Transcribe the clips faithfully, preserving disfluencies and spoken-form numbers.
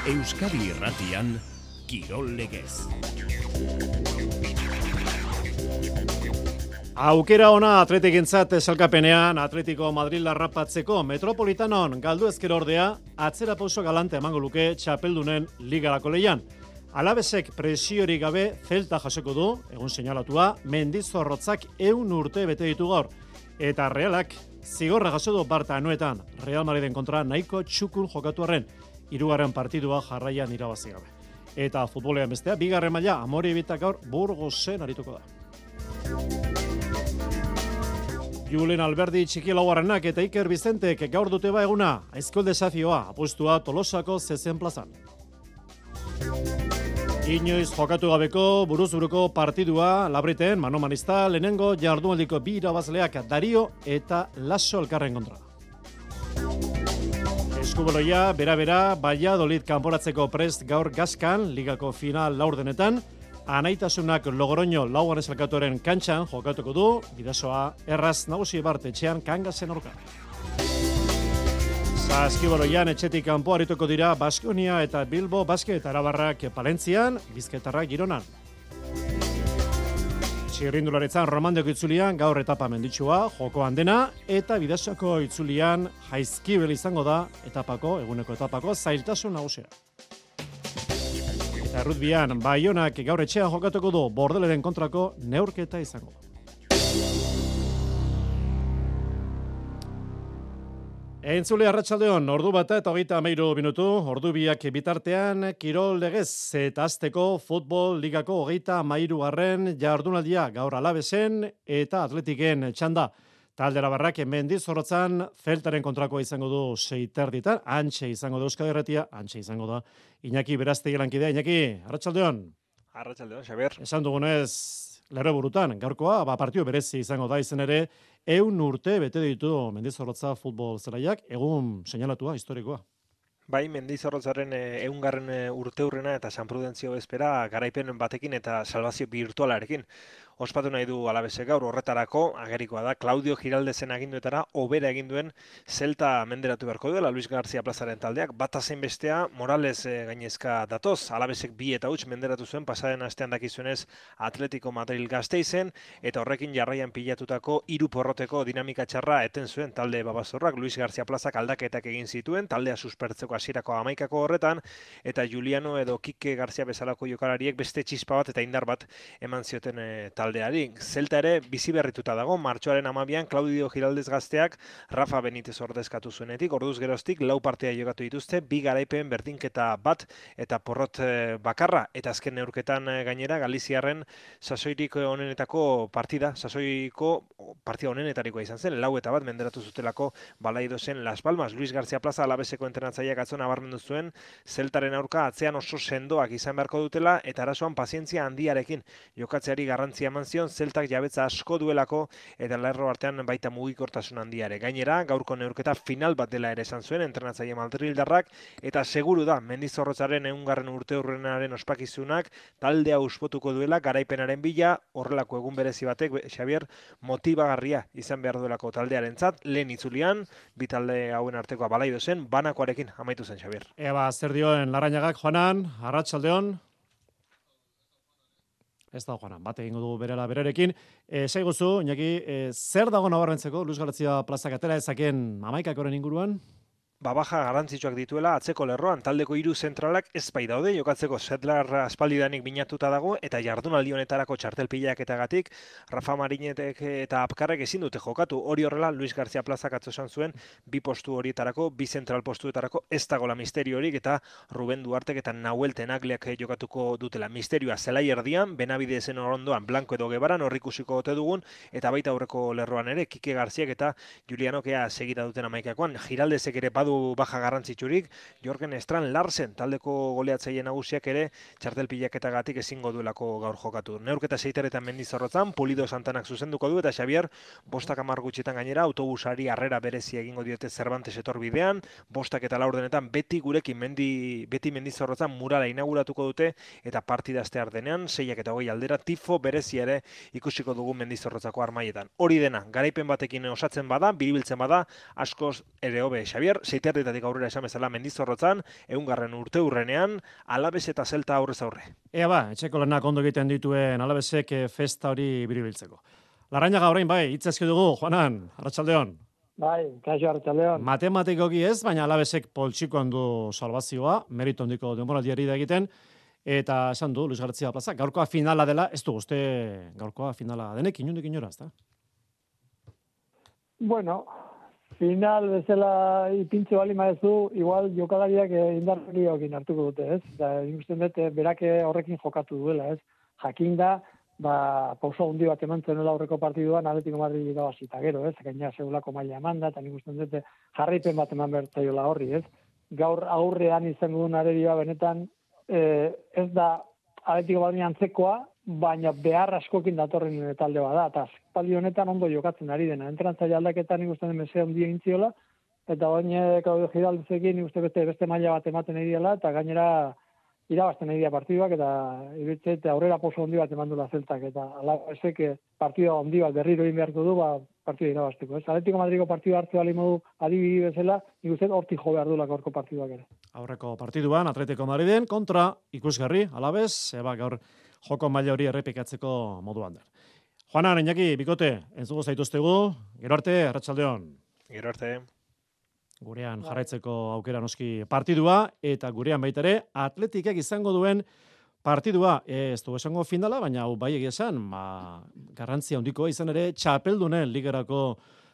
Euskadi Irratian, Kirol Legez. Aukera ona Atletikentzat sailkapenean Atletico Madrid larrapatzeko Metropolitanon galdu ezker ordea atzera pauso galante emango luke txapeldunen ligarako leian. Alabesek presiorik gabe Celta jasoko du, egun seinalatua, Mendizorrotzak ehun urte bete ditu gaur. Eta Realak zigorra jaso du Barta anuetan Real Madriden kontra nahiko txukun jokatu arren, hirugarren partidua jarraian irabazi gabe. Eta futbolean bestea, bigarren maila Amorebieta gaur Burgosen arituko da. Julen Alberdi txiki laugarrenak eta Iker Bizentek gaur dute ba eguna, aizkol desafioa, apustua Tolosako zezen plazan. Inoiz jokatu gabeko buruz-buruko partidua Labriten, manomanista, lehenengo jardunaldiko bi irabazleak Dario eta Lasso elkarren kontra. Eskubaloia, bera-bera, Valladolid kanporatzeko prest gaur Gaskan, ligako final laurdenetan, Anaitasunak Logoroño laugarren elkatuaren kantxan jokatuko du, bidasoa erraz nagusi bart etxean Kangasen aurka. Saskibaloian etxetik kanpo arituko dira Baskonia eta Bilbo Basket Arabarrak Palentzian, Bizkaitarrak Gironan. Txirrindularetzan Romandeko itzulian gaur etapa menditsua, jokoan dena, eta bidasoako itzulian Jaizkibel izango da etapako, eguneko etapako zailtasun nagusia. Eta rugbian, Baionak gaur etxean jokatuko du Bordeleren kontrako neurketa izango. Entzule arratsaldeon, ordu bata eta hogeita hamairu minutu, ordu biak bitartean, Kirol Legez eta azteko futbol ligako hogeita hamairugarren jardunaldia gaur Alabesen eta Atletiken txanda. Taldera barrak Mendizorrotzan Celtaren kontrakoa izango du seiterditan, antxe izango da Euskadi Irratia, antxe izango da Iñaki Berastegi lankidea. Iñaki, arratsaldeon. Arratsaldeon, Xabier. Esan dugunez, lerro burutan, gaurkoa, ba, partio berezi izango da izen ere, ehun urte bete ditu Mendizorrotza futbol zelaiak, egun seinalatua, historikoa. Bai, Mendizorrotzaren ehungarren urteurrena eta San Prudentzio bezpera garaipen batekin eta salbazio virtualarekin. Ospatu nahi du Alabesek gaur horretarako, agerikoa da, Claudio Giraldezen aginduetara obera egin duen Celta menderatu beharko duela Luis García plazaren taldeak, bata zein bestea Morales e, gainezka datoz, Alabesek bi eta huts menderatu zuen pasaren astean dakizuenez Atletico Madrid Gasteizen, eta horrekin jarraian pilatutako hiru porroteko dinamika txarra eten zuen talde babazorrak, Luis García plazak aldaketak egin zituen, taldea suspertzeko hasierako hamaikako horretan, eta Juliano edo Kike García bezalako jokalariek beste txispa bat eta indar bat eman zioten e, talde. Celta ere bizi berrituta dago, martxoaren hamabian Claudio Giraldez gazteak Rafa Benitez ordezkatu zuenetik, orduz geroztik lau partea jokatu dituzte, bi garaipen berdinketa bat eta porrot bakarra, eta azken neurketan gainera Galiziarren sasoirik onenetako partida, sasoiko partida onenetarikoa izan zen, lau eta bat menderatu zutelako Balaidozen Las Palmas. Luis García Plaza Alabeseko entrenatzaileak atzo nabarmendu zuen Celtaren aurka atzean oso sendoak izan beharko dutela eta arazoan pazientzia handiarekin jokatzeari garrantzia eman zion, Celtak jabetza asko duelako eta lerro artean baita mugikortasun handiare. Gainera, gaurko neurketa final bat dela ere esan zuen entrenatzaile madrildarrak eta seguru da Mendizorrotzaren ehungarren urteurrenaren ospakizunak taldea uspotuko duela garaipenaren bila, horrelako egun berezi batek Xabier motibagarria izan behar duelako taldearentzat, lehen itzulian, bi talde hauen artekoa Balaidozen, banakoarekin amaitu zen Xabier. Eba, zer dioen Larrañagak, Juanan, arratsaldeon. Ez da, Juanan, bat egingo du berela berarekin. E, Saiguzu, Iñaki, e, zer dago nabarmentzeko Luis García plazak atera ezaken hamaikakoren inguruan? Ba, baja garrantzitsuak dituela atzeko lerroan, taldeko hiru zentralak ez bai daude, jokatzeko Sedlar aspaldidanik binatuta dago, eta jardunaldi honetarako txartelpilaketagatik Rafa Marinetek eta Apkarrek ezin dute jokatu. Hori horrela, Luis García plazak atzo esan zuen, bi postu horietarako, bi zentral postuetarako ez dagoela misteriorik, eta Ruben Duartek eta Nahuel Tenagleak jokatuko dutela. Misterioa zelai erdian, Benabide zen orondoan, Blanco edo Gebaran, horrikusiko ote dugun, eta baita aurreko lerroan ere, Kike Garziak eta Julianokea segita duten amaikakoan. Giraldezek ere badu baja garrantzitsurik, Jorgen Estran Larsen taldeko goleatzaile nagusiak ere txartelpilaketagatik ezingo duelako gaur jokatu. Neurketa seiteretan Mendizorrotzan, Pulido Santanak zuzenduko du eta Xabier bostak hamar gutxetan gainera autobusari harrera berezi egingo diote Cervantes etorbidean, bostak eta laurdenetan beti gurekin mendi, beti Mendizorrotzan murala inauguratuko dute eta partida astear denean, seiak eta hogei aldera tifo berezi ere ikusiko dugu Mendizorrotzako armaietan. Hori dena, garaipen batekin osatzen bada, biribiltzen bada, askoz ere hobe Xabier, sei terdietatik aurrera esan bezala Mendizorrotzan, ehungarren urteurrenean, Alabes eta Zelta aurrez aurre. Ea ba, etxeko lanak ondo egiten dituen Alabesek festa hori biribiltzeko. Larrañaga orain bai, hitz eski dugu, Juanan, arratsaldeon. Bai, kaixo arratsaldeon. Matematikoki ez, baina Alabesek poltsikoan du salbazioa, merito handiko denboraldiari da egiten, eta esan du Luis García Plaza, gaurkoa finala dela, ez du uste gaurkoa finala denek inondik inora, ezta? Bueno, final bezala ipintze bali maezu, igual jokalariak indarriokin hartuko dute, ez? Da, ikusten dut, berak horrekin jokatu duela, ez? Jakinda, ba, pauso handi bat eman zenuela aurreko partiduan, Atletico Madrid irabazita gero, ez? Gaina segulako maila emanda, eta nik usten dute jarraipen bat eman bertzaiola horri, ez? Gaur aurrean izango duen arerioa benetan, eh, ez da Atletico Madrid antzekoa, baina behar askokin datorren talde bada, eta talde honetan ondo jokatzen ari dena. Entrantzaile aldaketan nik usten dut meze handia intziola, eta baina Claudio Giraldezekin nik uste beste, beste maila bat ematen ari dela, eta gainera irabazten ari dira partiduak, eta iruditzen eta aurrera poso handi bat eman duela Zeltak, eta Alabesek partida handi bat berriro egin beharko du, ba, partida irabazteko. Ez? Atletico Madrideko partida hartu ali modu adibidi bezala, nik uste hortik jo behar duela gaurko partiduak ere. Aurreko partiduan Atletico Madriden kontra ikusgarri Alabes, eba gaur joko maila hori errepikatzeko moduan da. Juanan, Iñaki, bikote, entzuko zaituztegu, gero arte, arratsaldeon. Gero arte. Gurean jarraitzeko aukera noski partidua, eta gurean baita ere Atletikek izango duen partidua. Ez du esango finala, baina hau bai egia esan, ma, garrantzia handikoa izan ere, txapeldunen ligerako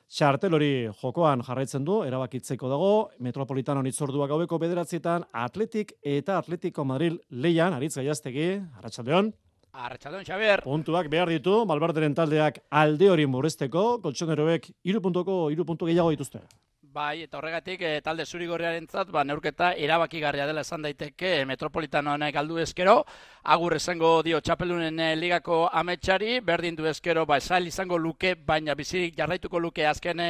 txartel hori jokoan jarraitzen du, erabakitzeko dago, Metropolitanon itzordua gaueko bederatzietan Atletik eta Atletico Madrid leian, Aritz Gaiaztegi, arratsaldeon. Arratsaldeon, Xabier. Puntuak behar ditu, Malbarderen taldeak alde hori murrizteko, koltsoneroek hiru puntuko hiru puntu gehiago dituzte. Bai, eta horregatik e, talde zurigorriarentzat ba neurketa erabakigarria dela esan daiteke Metropolitanoen galdu eskero, agur esango dio txapeldunen e, ligako ametsari, berdin du eskero ba esail izango luke, baina bizirik jarraituko luke azken e,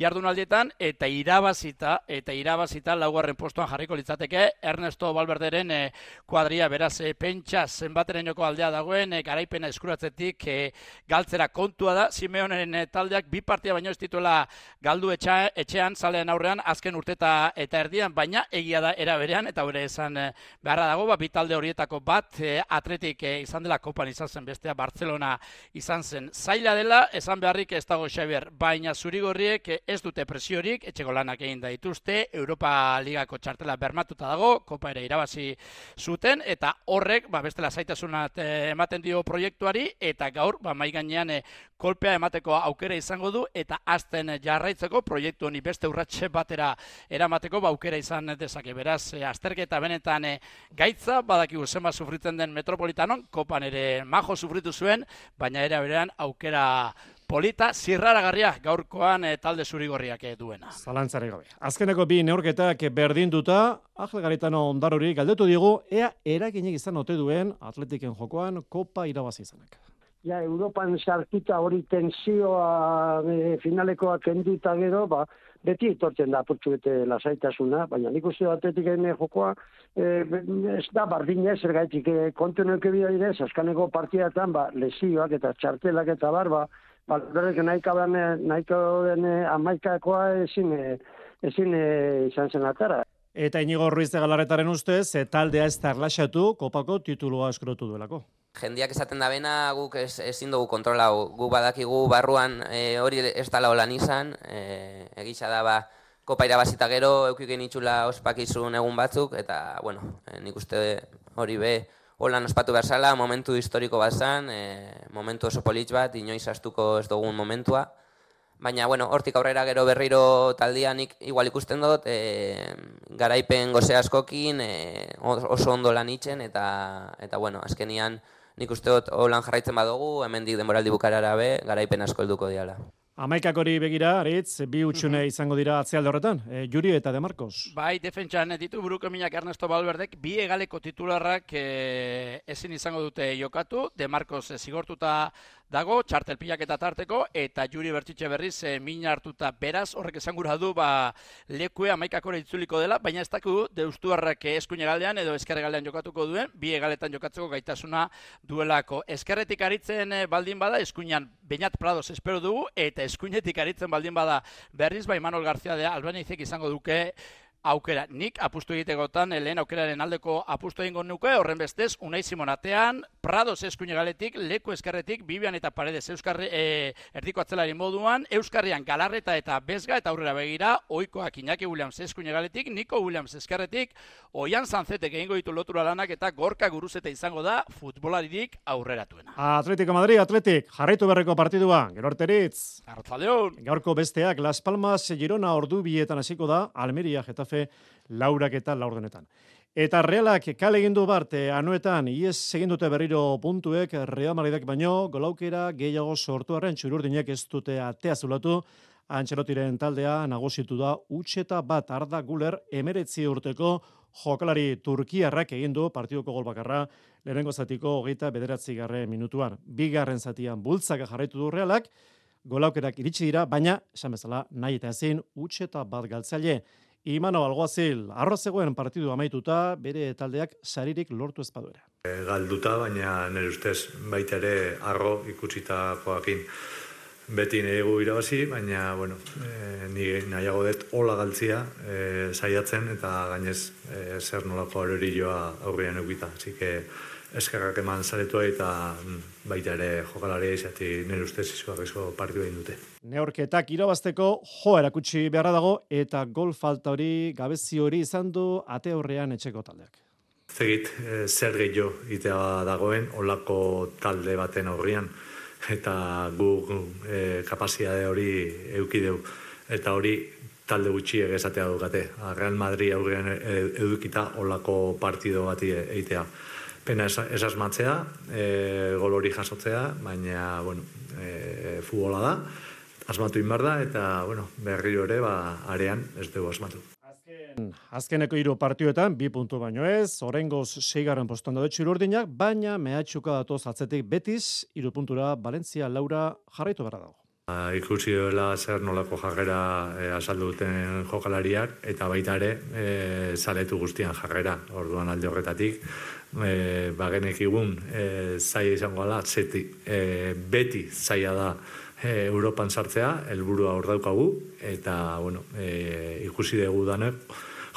jardunaldietan, eta irabazita, eta irabazita laugarren postuan jarriko litzateke Ernesto Valverderen e, kuadria, beraz e, pentsa zenbaterenoko aldea dagoen, e, garaipena eskuratzetik e, galtzera kontua da, Simeoneren e, taldeak bi partia baino ez dituela galdu etxa, etxean, zaleen aurrean azken urteta eta erdian, baina egia da era berean, eta bere esan e, beharra dago, ba, bi talde horietako bat e, Atletik e, izan dela Kopan izan zen, bestea Barcelona izan zen. Zaila dela, esan beharrik ez dago Xabier, baina zurigorriek e, ez dute presiorik, etxeko lanak egin da dituzte, Europa Ligako txartela bermatuta dago, Kopa ere irabazi zuten, eta horrek, ba, bestela zaitasunat e, ematen dio proiektuari, eta gaur, ba, mai gainean e, kolpea emateko aukera izango du, eta azten jarraitzeko proiektu honi beste urratxe batera eramateko ba aukera izan dezake. Beraz, e, azterketa benetan e, gaitza, badakigu zenbat sufritzen den Metropolitanon, Kopan ere majo sufritu zuen, baina era berean aukera polita, zirraragarria gaurkoan e, talde zurigorriak e, duena. Zalantzari gabe. Azkeneko bi neurketak berdinduta, Ángel Garitano Ondarori galdetu digu, ea eraginik izan ote duen Atletiken jokoan Kopa irabazi izanak. Ja, Europan sartuta hori tensioa e, finalekoa kenduta gero, ba, beti etortzen da apurtxu bete lasaitasuna, baina nik uste Atletiken jokoa e, ez da bardina ez ergaitik e, kontu neuke bida direz, askaneko partidatan, ba, lesioak eta txartelak eta bar, ba, ba nahiko den, nahiko den e, amaikakoa ezin, e, ezin e, izan zen atara. Eta Inigo Ruiz de Galarretaren ustez, e, taldea ez da erlaxatu Kopako titulua eskurotu duelako. Jendiak esaten da bena, guk ez, ezin dugu kontrolau, gu badakigu barruan e, hori ez dala holan izan, e, egisa da ba, Kopa irabazita gero, eukiken itxula ospakizun egun batzuk, eta, bueno, e, nik uste hori be, holan ospatu behar zala, momentu historiko bat zan, e, momentu oso politx bat, inoiz astuko ez dugun momentua, baina, bueno, hortik aurrera gero berriro taldianik igual ikusten dut, e, garaipen goze askokin, e, oso ondo lan itzen, eta, eta bueno, azkenian, nik uste dut holan jarraitzen badugu, hemendik denboraldi bukarara be, garaipen asko helduko diala. Amaikak hori begira, Aritz, bi utxune izango dira atzealde horretan, e, Juri eta De Marcos. Bai, defentsan ditu buruko minak Ernesto Valverdek, bi egaleko titularrak e, ezin izango dute jokatu, De Marcos e, zigortuta dago, txartelpilak eta tarteko, eta Juri Bertxitxe berriz e, min hartuta beraz, horrek esan gura du, ba, lekue amaikakora itzuliko dela, baina ez dakigu deustuarrak eskuin egaldean edo ezker egaldean jokatuko duen, bi egaletan jokatzeko gaitasuna duelako. Ezkerretik aritzen baldin bada, eskuinan Beñat Prados espero dugu, eta eskuinetik aritzen baldin bada berriz, ba, Imanol Garzia de Albanizek izango duke aukera. Nik apustu egitegotan, lehen aukeraren aldeko apustu egingo nuke, horren bestez, Unai Simonatean, Prados eskuine galetik, Leku eskerretik, Bibian eta Paredes Euskarri, e, erdiko atzelari moduan, Euskarrian Galarreta eta Bezga eta aurrera begira, oikoak Iñaki Williams eskuine galetik, Niko Williams eskerretik, Oian Sanzetek egingo ditu lotura lanak eta Gorka Guruzeta izango da futbolaririk aurreratuena. Atletico Madrid, Atletik, jarraitu berreko partidua, gero arteritz. Arratzaldeon. Gaurko besteak, Las Palmas, Girona ordu bietan hasiko da, Almeria, Getafe, laurak eta laurdenetan. Eta Realak kale egin du bart, anuetan, ies egin dute berriro puntuek, Real Madridak baino, golaukera gehiago sortu arren, txururdinek ez dute atea zulatu, Antxelotiren taldea nagusitu da, utxeta bat Arda Guler, emeretzi urteko jokalari turkiarrak egin du partidoko gol bakarra, lehenengo zatiko hogeita bederatzi garren minutuan. Bigarren zatian bultzaka jarraitu du Realak, golaukerak iritsi dira, baina, esan bezala, nahi eta ezin, utxeta bat galtzaile. Imano Alguazil, arro zegoen partidu amaituta, bere taldeak saririk lortu ezpaduera. Galduta, baina nire ustez baita ere arro ikutsitakoakin. Beti nire gu irabazi, baina bueno, e, nire nahiago dut hola galtzia e, saiatzen eta gainez e, zer nolako aurrerioa aurrean eukita. Así que eskerrak eman zaretua eta baita ere jokalaria izati nire ustez izugarrizko partidu egin dute. Neorketak irabazteko jo erakutsi beharra dago eta gol falta hori, gabezi hori izan du ate aurrean etxeko taldeak. Zegit, e, zer gehiago itea dagoen olako talde baten aurrean eta gu e, kapazitate hori eukideu eta hori talde gutxiek esatea dukate. Real Madrid aurrean edukita olako partido bati eitea. Pena esasmatzea, e, gol hori jasotzea, baina bueno, e, futbola da, asmatu inbar da, eta bueno, berriro ere ba, arean ez dugu asmatu. Azken, azkeneko hiru partioetan, bi puntu baino ez, orengoz seigarren postuan daude txururdinak, baina mehatxuka datoz atzetik Betis, hiru puntura Valencia Laura jarraitu beharra dago. Ikusi duela zer nolako jarrera e, azaldu duten jokalariak, eta baita ere e, zaletu guztian jarrera, orduan alde horretatik, e, bagenek igun e, zaila izango ala, zeti, e, beti zaila da e, Europan sartzea, helburua hor daukagu, eta bueno, e, ikusi dugu danek,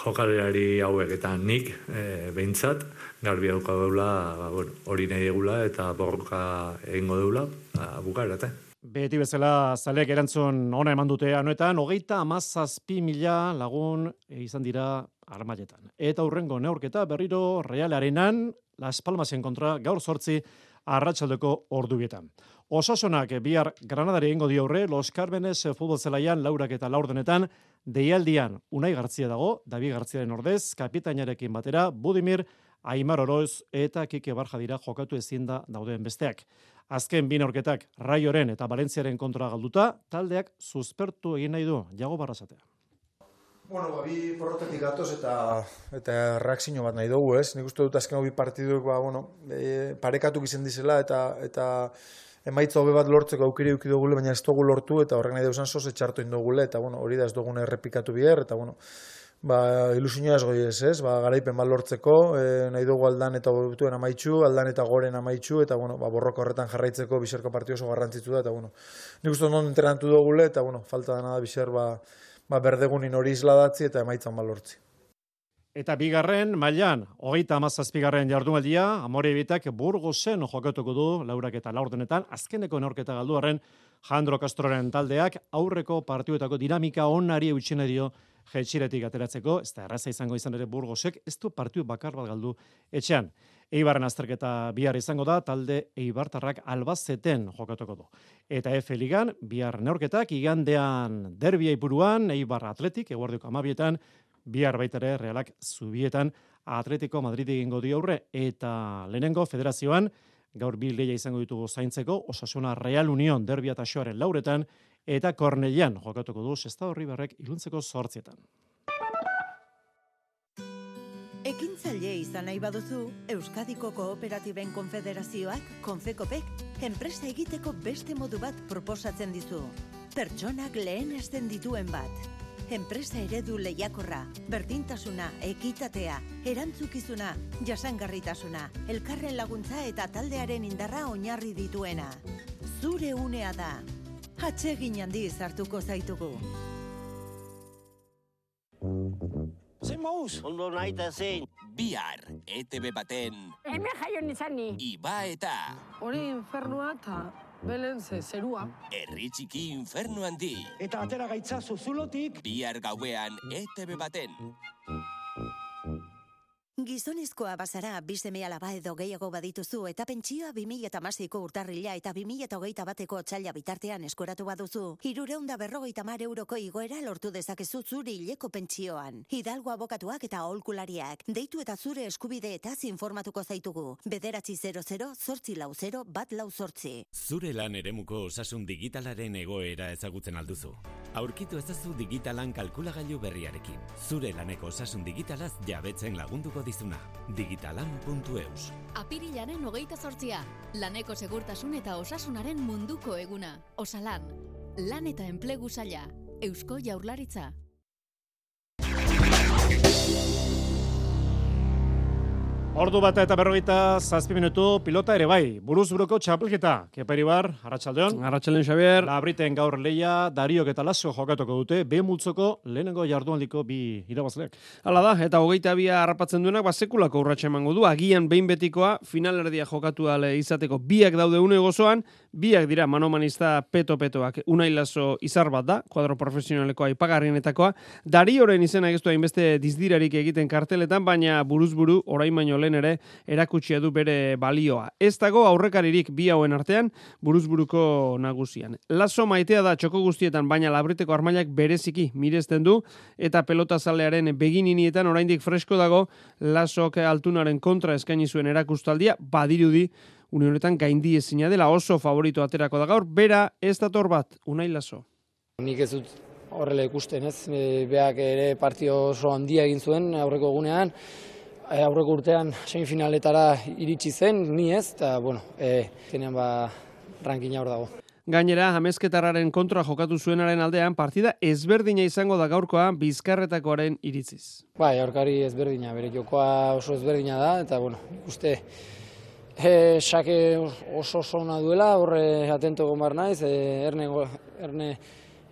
jokalari hauek eta nik e, behintzat, garbi dauka deula, ba, bueno, hori nahi egula eta borroka egingo deula, ba, bukaerate. Beti bezala zaleek erantzun ona eman dute anuetan, hogeita hamazazpi mila lagun izan dira armailetan. Eta hurrengo neurketa berriro Real Arenan, Las Palmasen kontra gaur zortzi arratsaldeko ordubietan. Osasunak bihar Granadari egingo dio aurre, Los Cármenes futbol zelaian laurak eta laurdenetan, deialdian Unai Gartzia dago, David Gartziaren ordez, kapitainarekin batera, Budimir, Aimar Oroz eta Kike Barja dira jokatu ezin da dauden besteak. Azken bi neurketak Raioren eta Valentziaren kontra galduta, taldeak suspertu egin nahi du, Jago Barrasatea. Bueno, ba, bi porrotetik gatoz eta eta reakzio bat nahi dugu, ez? Nik uste dut azken bi partiduk, ba, bueno, e, parekatuk izan dizela eta eta emaitza hobe bat lortzeko aukeri eduki dugule, baina ez dugu lortu eta horrek nahi duzan soz etxartu indugule eta bueno, hori da ez dugune errepikatu biher eta bueno, ba, ilusioa ez goi ez, ez? Ba, garaipen bat lortzeko, e, nahi dugu aldan eta botuen amaitxu, aldan eta goren amaitxu eta bueno, ba, borroka horretan jarraitzeko biserko partio oso garrantzitsu da eta bueno, nik uste non entrenatu dugule eta bueno, falta dena da biser ba ba, berdegunin hori isladatzi eta emaitzan balortzi. Eta bigarren, mailan, hogeita hamazazpigarren jardunaldia, Amore Bitak Burgosen jokatuko du, laurak eta laurdenetan, azkeneko neorketa galduaren Jandro Castroren taldeak, aurreko partioetako dinamika onari eutxene dio jetxiretik ateratzeko, ez da erraza izango izan ere Burgosek, ez du partiu bakar bat galdu etxean. Eibarren azterketa bihar izango da, talde Eibartarrak Albazeten jokatuko du. Eta F Ligan, bihar neorketak, igandean derbia ipuruan, Eibar Atletik, eguardioko amabietan, bihar baitare Realak Zubietan, Atletico Madrid egingo dio aurre, eta lehenengo federazioan, gaur bil lehia izango ditugu zaintzeko, Osasuna Real Union derbia taxoaren lauretan, eta Kornelian jokatuko du Sestao Ribarrek iluntzeko zortzietan. Ekintzaile izan nahi baduzu, Euskadiko Kooperatiben Konfederazioak, Konfekopek, enpresa egiteko beste modu bat proposatzen dizu. Pertsonak lehenesten dituen bat. Enpresa eredu lehiakorra, berdintasuna, ekitatea, erantzukizuna, jasangarritasuna, elkarren laguntza eta taldearen indarra oinarri dituena. Zure unea da. Atsegin handiz hartuko zaitugu. Zein mauz? Ondo naita zein. Bihar, E T B baten... Hemen jaion izan ni. Iba eta... Hori infernua eta belen ze zerua. Herri txiki infernu handi. Eta atera gaitza zuzulotik. Bihar gauean E T B baten. Gizonezkoa bazara, bi seme-alaba edo gehiago badituzu eta pentsioa bi mila hamaseiko urtarrila eta bi mila hogeita bateko otsaila bitartean eskoratu baduzu, hirurehun eta berrogeita hamar euroko igoera lortu dezakezu zure hileko pentsioan. Hidalgo abokatuak eta aholkulariak, deitu eta zure eskubideetaz informatuko zaitugu. Bederatzi zero zero, zortzi lau zero, bat lau zortzi. Zure lan eremuko osasun digitalaren egoera ezagutzen alduzu. Aurkitu ezazu digitalan kalkulagailu berriarekin. Zure laneko osasun digitalaz jabetzen lagunduko dizuna. digitalan puntu eus. Apirilaren hogeita zortzia. Laneko segurtasun eta osasunaren munduko eguna. Osalan. Lan eta enplegu saila. Eusko Jaurlaritza. Ordu bata eta berrogeita zazpi minutu pilota ere bai. Buruz buruko txapelketa. Kepa Iribar, Arratsaldeon. Arratsaldeon, Xabier. Labriten gaur leia, Dariok eta Lasio jokatuko dute, B multzoko lehenengo jardunaldiko bi irabazleak. Hala da, eta hogeita bia harrapatzen duenak, ba, sekulako urratsa emango du. Agian behin betikoa, finalerdia jokatu ale izateko biak daude une gozoan, biak dira manomanista peto-petoak. Unai Laso izar bat da, kuadro profesionaleko aipagarrienetakoa. Darioren izena egiztu hainbeste dizdirarik egiten karteletan, baina buruz-buru orain baino lehen ere erakutsia du bere balioa. Ez dago aurrekaririk bi hauen artean buruzburuko nagusian. Laso maitea da txoko guztietan, baina Labriteko armailak bereziki miresten du eta pelotazalearen begininietan oraindik fresko dago Lasok altunaren kontra eskaini zuen erakustaldia, badirudi une honetan gaindi ezina dela, oso favorito aterako da gaur, bera ez dator bat, Unai Laso. Nik ez dut horrela ikusten, ez? Beak ere partio oso handia egin zuen aurreko egunean, aurreko urtean semifinaletara iritsi zen, ni ez, eta, bueno, e, zenean ba, rankina hor dago. Gainera, Amezketarraren kontra jokatu zuenaren aldean, partida ezberdina izango da gaurkoa Bizkarretakoaren iritziz. Bai, aurkari ezberdina, bere jokoa oso ezberdina da, eta, bueno, uste, e, xake oso oso ona duela, horre atento egon bar naiz, e, erne, erne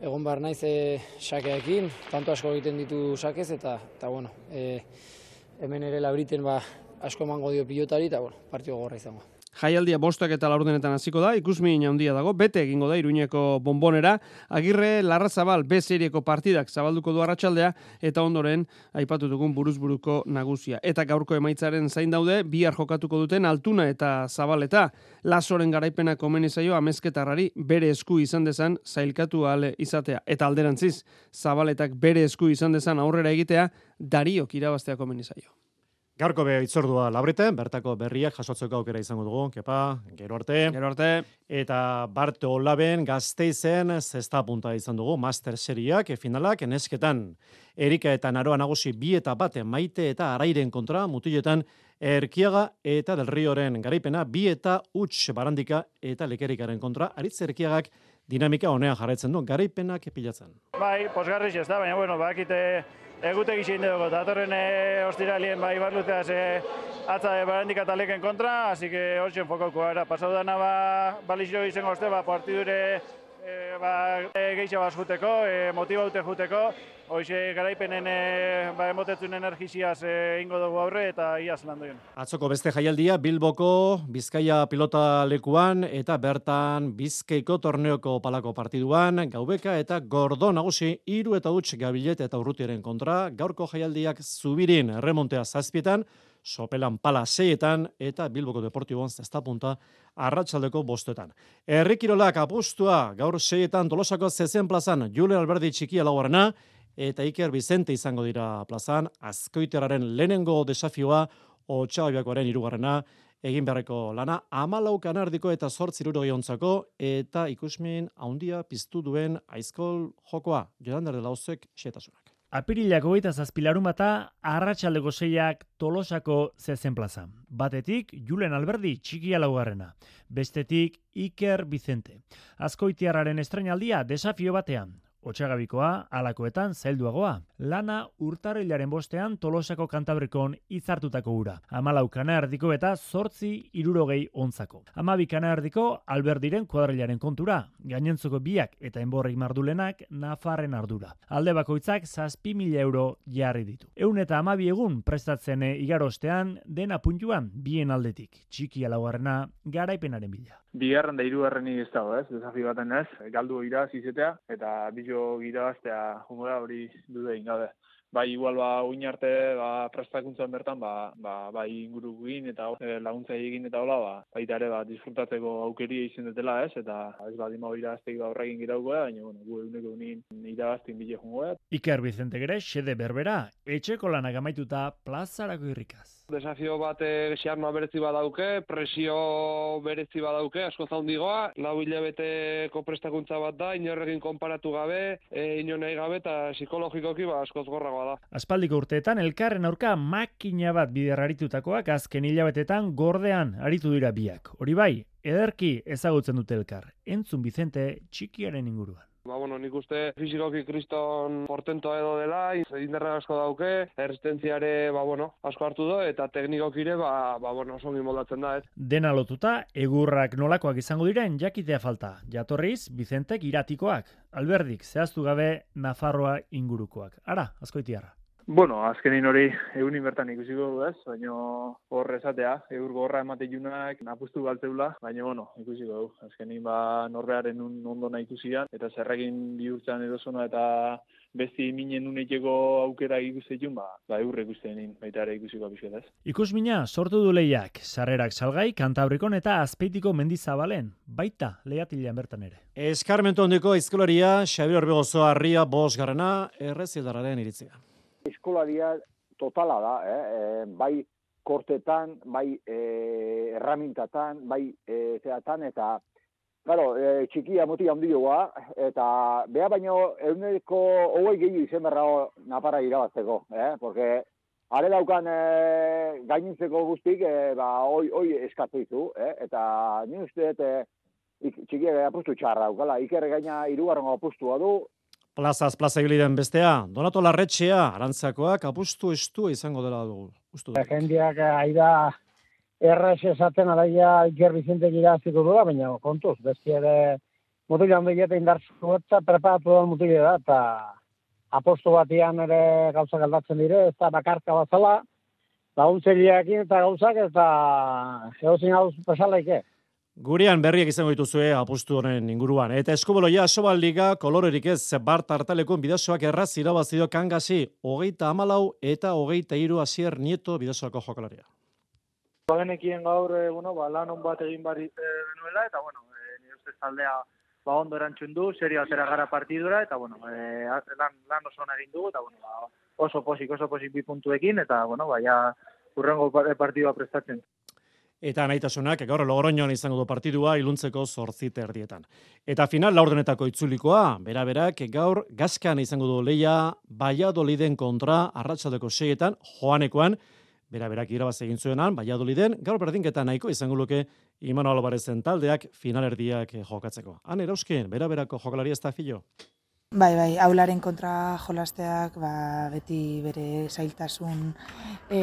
egon bar naiz e, xakeekin, tanto asko egiten ditu xakez, eta, eta bueno, e, hemen ere Labriten ba, asko emango dio pilotari eta bueno, partio gogorra izango. Jaialdia bostak eta laurdenetan hasiko da, ikusmin handia dago, bete egingo da Iruñeko Bonbonera, Agirre Larrazabal B serieko partidak zabalduko du arratsaldea eta ondoren aipatu dugun buruzburuko nagusia. Eta gaurko emaitzaren zain daude, bihar jokatuko duten Altuna eta Zabaleta. Lasoren garaipena komeni zaio Amezketarrari bere esku izan dezan zailkatu ahal izatea. Eta alderantziz, Zabaletak bere esku izan dezan aurrera egitea, Dariok irabaztea komeni zaio. Gaurko be itzordua Labriten, bertako berriak jasotzeko aukera izango dugu, kepa, gero arte. Gero arte. Eta Bart Olaben Gasteizen zesta punta izan dugu, Master Seriak, finalak, nesketan Erika eta Naroa nagusi bi eta bate Maite eta Arairen kontra, mutiletan Erkiaga eta Del Rioren garaipena, bi eta Uts Barandika eta Lekerikaren kontra, Aritz Erkiagak dinamika honean jarraitzen du, garaipenak pilatzen. Bai, posgarriz ez da, baina bueno, bakite egutegi zein dugu, datorren e, ostiralien bai barluteaz e, atza e, Barandika eta Leken kontra, así que hortzen fokoko era. Pasau dana ba, balizio izango oste, ba, partidure e, ba, e, geixa bat juteko, e, motibaute juteko, hoxe garaipenen e, ba, emotetzun energiziaz e, ingo dugu aurre eta iaz lan duen. Atzoko beste jaialdia Bilboko Bizkaia pilota lekuan eta bertan Bizkaiko torneoko palako partiduan, Gaubeka eta Gordo nagusi hiru eta huts Gabilet eta Urrutiaren kontra, gaurko jaialdiak Zubirin erremontea zazpietan, Sopelan pala seietan eta Bilboko Deportibon zesta punta arratsaldeko bostetan. Herrikirolak apustua gaur seietan Tolosako zezen plazan Jule Alberdi txikia laugarrena eta Iker Bizente izango dira plazan, Azkoiteraren lehenengo desafioa Otxababiakoaren hirugarrena egin beharreko lana hamalau kanardiko eta zortzi hirurogei ontzako eta ikusmin handia piztu duen Aizkol jokoa Jodander de Lauzek xehetasunak. Apirilak hogeita zazpi larunbata arratsaldeko seiak Tolosako zezen plaza. Batetik Julen Alberdi txikia laugarrena, bestetik Iker Vicente. Azkoitiarraren estrainaldia desafio batean. Otsagabikoa, alakoetan zailduagoa. Lana urtarrilaren bostean Tolosako Kantabrikon izartutako ura. Hamalau kana erdiko eta zortzi hirurogei onzako. Hamabi kana erdiko Alberdiren kuadrilaren kontura. Gainentzoko biak eta enborrik mardulenak Nafarren ardura. Alde bakoitzak zazpi mila euro jarri ditu. Eun eta hamabi egun prestatzen igarostean dena puntuan bien aldetik. Txiki laugarrena garaipenaren bila. Bigarren da hirugarrenik ez dago, ez? Desafio baten ez, galdu iraz izetea, eta bilo irabaztea jungora hori dude ingabe. Bai, igual, ba, uin arte, ba, prestakuntzan bertan, ba, ba, bai ingurukin eta e, laguntza egin eta hola, ba, baita ere, ba, disfrutatzeko aukeria izan dutela, ez? Eta ez badima irabazteik ba horrekin girauko da, baina, bueno, gu eguneko unin irabaztin bile jungo da. Iker Vicente gere, xede berbera, etxeko lanak amaituta plazarako irrikaz. Desafio bat xarnoa berezi badauke, presio berezi badauke, asko zaundigoa, lau hilabeteko prestakuntza bat da, inorrekin konparatu gabe, e, ino nahi gabe, eta psikologikoki ba, askoz gorragoa da. Aspaldiko urteetan, elkarren aurka makina bat bider aritutakoak azken hilabetetan gordean aritu dira biak. Hori bai, ederki ezagutzen dute elkar, entzun Vicente txikiaren inguruan. Ba, bueno, nik uste fizikoki kriston portentoa edo dela, indarra asko dauke, erresistentziare, ba, bueno, asko hartu do, eta teknikokire, ba, ba, bueno, osongi moldatzen da, ez. Dena lotuta, egurrak nolakoak izango diren jakitea falta. Jatorriz, Vicentek iratikoak, Alberdik, zehaztu gabe Nafarroa ingurukoak. Ara, Azkoitiarra. Bueno, azkenin hori egunin bertan ikusiko du ez, baina hor esatea, egur gorra emate junak napustu galtzeula, baina bueno, ikusiko du. Azkenin ba norbearen ondo nahi ikusian, eta zerrekin bihurtzen edozona eta besti minen uneteko aukera ikusten ba, ba eurre ikustenin, baita ere ikusiko apisket ez. Ikusmina sortu du lehiak, sarrerak salgai, Kantabrikon eta Azpeitiko mendizabalen, baita lehiatilean bertan ere. Eskarmentu handiko aizkolaria, Xabier Orbegozo harria bosgarrena, errezildarraren iritzia. Eskolaria totala da, eh? E, bai kortetan, bai e, erramintatan, bai e, zeatan, eta claro, e, txikia moti handioa, eta beha baino eguneko hogei gehi izen berra Nafarra irabazteko, eh? Porque are daukan e, gainintzeko guztik, e, ba, oi, oi eskatu ditu, eh? Eta ni uste, e, txikia apustu txarra daukala, Iker gaina hirugarren apustua du. Plazaz plaza ibiliden bestea, Donato Larretxea, Arantzakoak apustu estu izango dela dugu. Jendiak aida errez esaten araia Iker Vicentek iraziko dula, baina kontuz, besti ere mutila handi eta indartzu eta preparatu da mutila da, eta apostu batian ere gauzak aldatzen dire, ez da bakarka bazala, laguntzeriakin eta gauzak, eta eozin hau pesalaike. Gurean berriak izango dituzue apustu honen inguruan. Eta eskuboloia Asobal-liga kolorerik ez Bart Artalekun bidazoak erraz irabazido Kangasi hogeita hamalau eta hogeita hiru Asier Nieto bidazoako jokalaria. Bagenekien gaur, eh, bueno, ba, lan on bat egin barit genuela, eta bueno, eh, nire ustez taldea ba, ondo erantzun du, serio atera gara partidura, eta bueno, eh, lan, lan oso egin dugu, eta bueno, ba, oso posik, oso posik bi puntuekin, eta bueno, ba, ja, urrengo partidua prestatzen. Eta nahitasunak gaur Logroñoan izango du partidua iluntzeko zortzite erdietan. Eta final laurdenetako itzulikoa, bera-berak gaur Gaskan izango du leia Valladoliden kontra arratsaldeko seietan Joanekoan, bera-berak irabaz egin zuenan Valladoliden, gaur berdinketa nahiko izango luke Imanol Alvarezen taldeak finalerdiak jokatzeko. Han erauzken, bera-berako jokalaria ez da filo? Bai, bai, aularen kontra jolasteak ba, beti bere zailtasun e,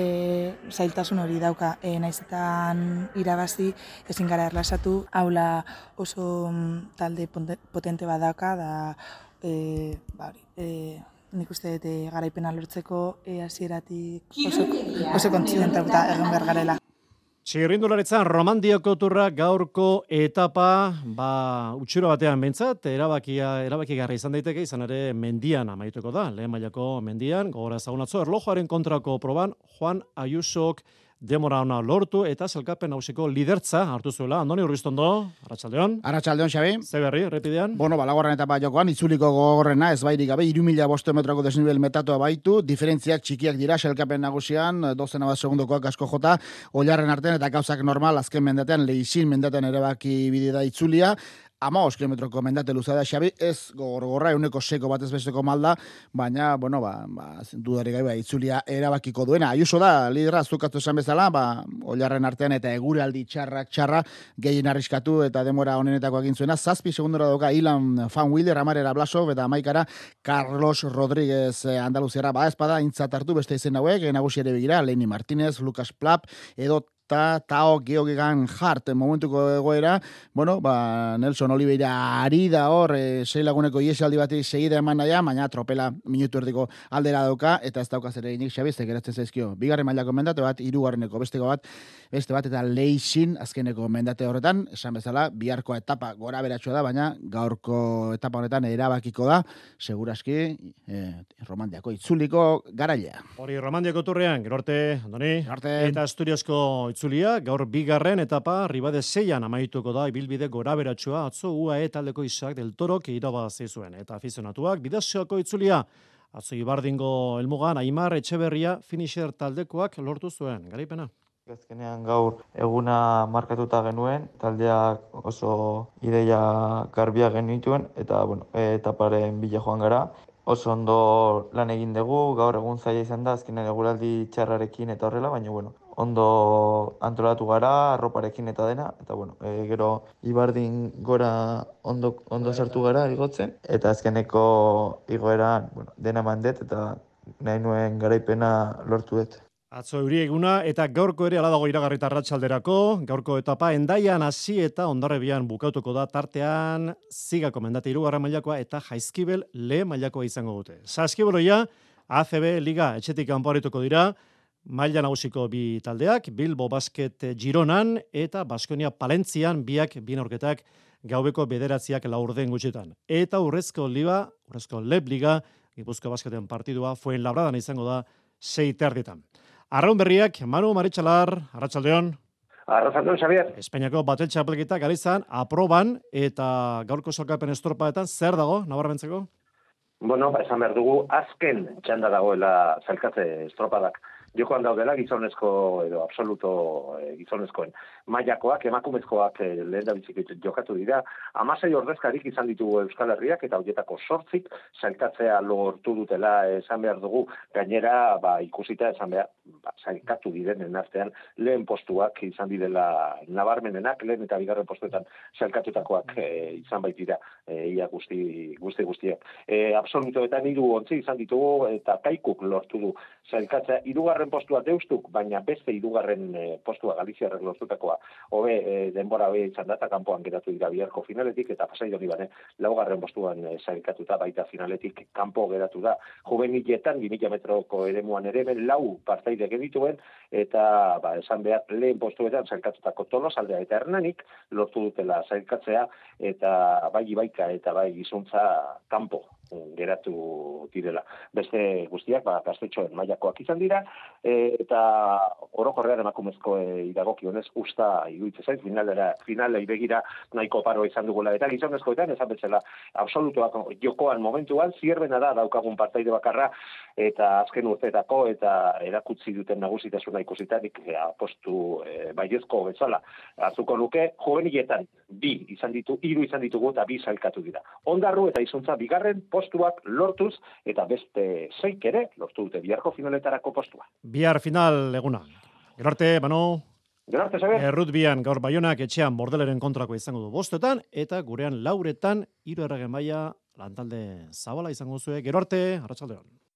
zailtasun hori dauka. E, naizetan irabazi ezin gara erlasatu, aula oso talde potente bat dauka, da e, ba, e, nik uste dut garaipena lortzeko e, hasieratik oso, oso kontzidentuta egin behar garela. Txirrindularitzan Romandioko turra gaurko etapa, ba, utxuro batean behintzat, erabakia, erabakigarri izan daiteke, izan ere mendian amaituko da, lehen mailako mendian, gogora ezagunatzo, erlojoaren kontrako proban, Juan Ayusok demora ona lortu eta sailkapen nausiko lidertza hartu zuela. Andoni Urbistondo, Arratsaldeon. Arratsaldeon, Xabi. Ze berri, errepidean? Bueno, balagorren etapa jokoan, itzuliko gogorrena, ez bairik gabe, hiru mila bost metroko desnivel metatua baitu, diferentziak txikiak dira sailkapen nagusian, dozena bat segundokoak asko jota, oilarren artean eta gauzak normal, azken mendatean, lehizin mendatean erabaki bide da itzulia. hamabost kilometroko mendate luza da, Xabi, ez gogorgorra euneko seko batez besteko malda, baina, bueno, ba, ba dudari gai, ba, itzulia erabakiko duena. Ayuso da, lidera, zukatu esan bezala, ba, oilarren artean eta eguraldi txarrak txarra gehien arriskatu eta demora honenetako egin zuena. Zazpi segundora doka Ilan Fan Wheeler, Amarera Blasov eta amaikara Carlos Rodríguez Andaluziara. Ba, espada, intzat hartu beste izen hauek, nagusi ere begira, Lenny Martínez, Lucas Plap, edo eta Tao Geoghegan Hart momentuko egoera, bueno, ba, Nelson Oliveira ari da hor, e, sei laguneko iesaldi bati segida eman naia, baina tropela minutu erdiko aldera dauka, eta ez daukaz ere inik Xabi, geratzen zaizkio. Bigarren mailako mendate bat, hirugarreneko besteko bat, beste bat, eta leixin azkeneko mendate horretan, esan bezala, biharko etapa gora beratxua da, baina gaurko etapa honetan erabakiko da, seguraski, e, Romandiako itzuliko garailea. Hori Romandiako turrean, gero arte, Andoni, arte. Eta Asturiasko itzulia, gaur bigarren etapa Ribade Seian amaituko da ibilbide gora beratsua atzo U A E taldeko Isaac del Torok irabazi zuen eta afizionatuak Bidasoako itzulia atzo Ibardingo helmugan Aimar Etxeberria finisher taldekoak lortu zuen garaipena. Azkenean gaur eguna markatuta genuen, taldeak oso ideia garbia genituen eta bueno, etaparen bila joan gara. Oso ondo lan egin dugu, gaur egun zaila izan da, azkenean eguraldi txarrarekin eta horrela, baina bueno, ondo antolatu gara, arroparekin eta dena, eta bueno, e, gero Ibardin gora ondo, ondo sartu gara igotzen, eta azkeneko igoeran bueno, dena mandet eta nahi nuen garaipena lortu dut. Atzo euri eguna eta gaurko ere ala dago iragarrita arratsalderako, gaurko etapa Hendaian hasi eta Hondarribian bukatuko da tartean Zigako mendate hirugarren mailakoa eta Jaizkibel lehen mailakoa izango dute. Saskibeloia A C B Liga etxetik kanpo arituko dira, maila nagusiko bi taldeak, Bilbo Basket Gironan eta Baskonia Palentzian biak bi neurketak gaubeko bederatziak laurden gutxitan. Eta urrezko liga, urrezko Leb Liga, Gipuzkoa Basketen partidua Fuenlabradan izango da sei terditan. Arraun berriak, Manu Maritxalar, Arratsaldeon. Arratsaldeon, Xavier. Espainiako batel txapelketak galizan, aproban eta gaurko salkapen estropaetan zer dago, nabarmentzeko? Bueno, ba, esan behar dugu, azken txanda dagoela salkatze estropadak. Jokoan daudela gizonezko edo absoluto e, gizonezkoen mailakoak, emakumezkoak e, lehen da bizik jokatu dira. Hamasei ordezkarik izan ditugu Euskal Herriak eta horietako sortzik sailkatzea lortu dutela esan behar dugu. Gainera, ba, ikusita esan behar, ba, sailkatu direnen artean lehen postuak izan direla nabarmenenak, lehen eta bigarren postuetan sailkatutakoak e, izan baitira e, ia guzti, guzti guztiak. E, absolutoetan hiru ontzi izan ditugu eta Kaikuk lortu du sailkatzea hirugarren postua deustuk, baina beste hirugarren e, postua Galiziarrek lortutakoa hobe e, denbora hobe izan da eta kanpoan geratu dira biharko finaletik eta Pasai Donibane laugarren postuan e, sailkatuta baita finaletik kanpo geratu da. Juveniletan bi mila metroko eremuan ere ben lau partaide genituen eta ba, esan behar lehen postuetan sailkatutako Tolosaldea eta Hernanik lortu dutela sailkatzea eta bai Ibaika eta bai Gizontza kanpo geratu direla. Beste guztiak, ba, gaztetxoen mailakoak izan dira, e, eta orokorrean emakumezko e, idagokionez usta iruditzen zait, finalera, finalei begira nahiko paro izan dugula, eta gizonezkoetan, esan betzela, absolutuak jokoan momentuan, zierbena da daukagun partaide bakarra, eta azken urteetako, eta erakutsi duten nagusitasuna ikusitarik e, apostu e, baiezko bezala. Hartuko luke, juveniletan, bi izan ditu, hiru izan ditugu, eta bi sailkatu dira. Ondarru eta Izuntza bigarren postuak lortuz, eta beste zeik ere lortu dute biharko finaletarako postua. Bihar final eguna. Gero arte, Manu. Gero arte, Xabier. Errutbian gaur Baionak etxean Bordeleren kontrako izango du bostetan, eta gurean lauretan hiru erregen maila lantalde zabala izango zuen. Gero arte, arratsaldeon.